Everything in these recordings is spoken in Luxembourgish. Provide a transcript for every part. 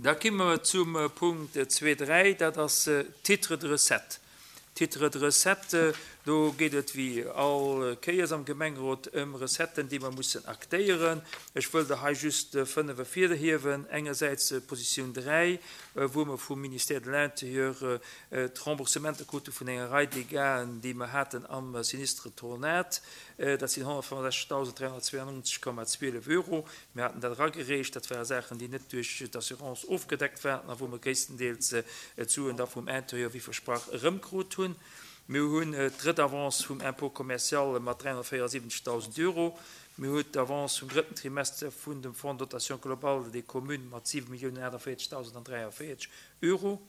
Da komme mer zum Punkt 2.3, dat ass d'Titres de recettes. Titres de recettes, do geet et wéi all Kéiers am Gemengerot ëm Recetten, déi mer mussen aktéieren. Ech wëll der hei just 5 ervirhiewen. Engersäits d'Positioun 3, wou mer vum Ministère de l'Intérieur d'Remboursementer krute vun enger Rei Dégâten, déi mer haten am Sinistre Tornade. Dat sinn 165.392,12 Euro. Mir haten dat eragereecht. Dat ware Saachen, déi net duerch d'Assurance ofgedeckt waren a wou mer gréisstendeels d'Suen da vum Intérieur wéi versprach erëmkrut hunn. Mir hunn d'drëtt Avance vum Impôt commercial mat 374.000 Euro. Mir hu d'Avance vum drëtten Trimester vun dem Fonds de dotation globale des communes mat 7.048.043 Euro.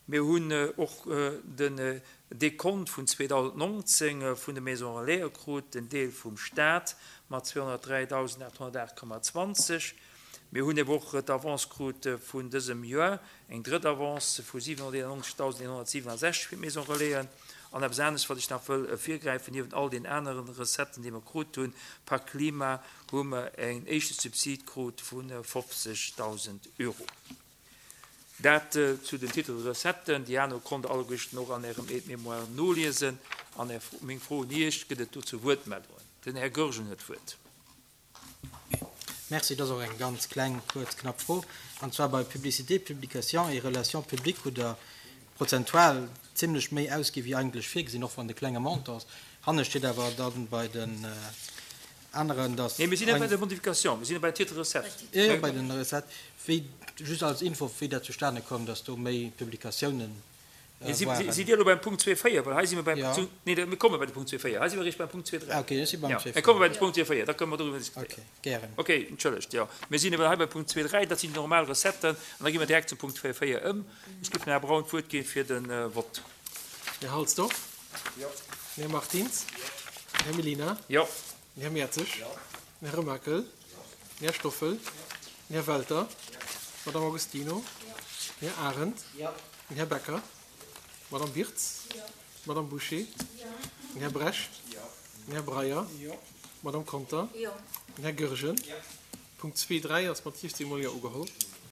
Mir hunn och den Dekont vun 2019 vun de Maisons Relaisen krut, den Deel vum Stat mat 203.808,20. Mir hunn ebe och d'Avance krut vun dësem Joer, eng drëtt Avance vu 791.167 fir d'Maisons Relaisen. An eppes anescht, wat ech nach wëll ervirgräifen, niewent all den aneren Recetten, déi mer krut hunn, Pak Klima, hu mer en éischte Subsid krut vu 50.000 Euro. Dat zu den Titres de recetten. Déi aner konnt Der alleguerten och an Ärem Aide-mémoire noliesen. An Är, meng Fro un Iech, Gëtt et dozou Wuertmeldungen? Den Här Goergen huet d'Wuert. Merci. Dat ass och eng ganz kleng, kuerz, knapp Fro. An zwar bei Publicité, Publications et Relations publiques hutt Der prozentual zimlech méi ausgi wéi eigentlech virgesinn, och wann et e klenge Montant ass. Hanne steet awer dann bei den aneren, dass. Nee, mir sinn net bei der Modification, mir sinn bei den Titres recettes. Jo, jo, bei den Recettes. Wéi, just als Info, wéi dat zustane koum, dass do méi Publikatiounen waren. Sidd Dir elo beim Punkt 2,4? Well hei si mer beim, nee, mir komme bei de Punkt 2,4. Hei si mer eréischt beim Punkt 2,3. Ah, okay, ech si beim 2,4. Mir komme bei de Punkt 2,4, da kënne mer doriwwer diskutéieren. Okay, gären. Okay, entschëllegt, jo. Mir sinn ebe hei beim Punkt 2,3, dat sinn déi normal Recetten. An da gi mer direkt zum Punkt 2,4 ëm. Ech géif dem Här Braun d'Wuert gi fir de Vott. Här Halsdorf? Jo. Den Här Martins? Jo. Den Här Mellina? Jo. Den Här Mertzig? Jo. Den Här Remakel? Jo. Den Här Stoffel? Jo. Den Här Welter? Jo. D'Madame Agostino? Jo. Den Här Arendt? Jo. Den Här Becker? Jo. D'Madame Wirtz? Jo. D'Madame Bouché? Jo. Den Här Brecht? Jo. Den Här Breyer? Jo. D'Madame Conter? Jo. Den Här Goergen? Jo. Punkt 2, 3 ass mat 17 mol Jo ugeholl.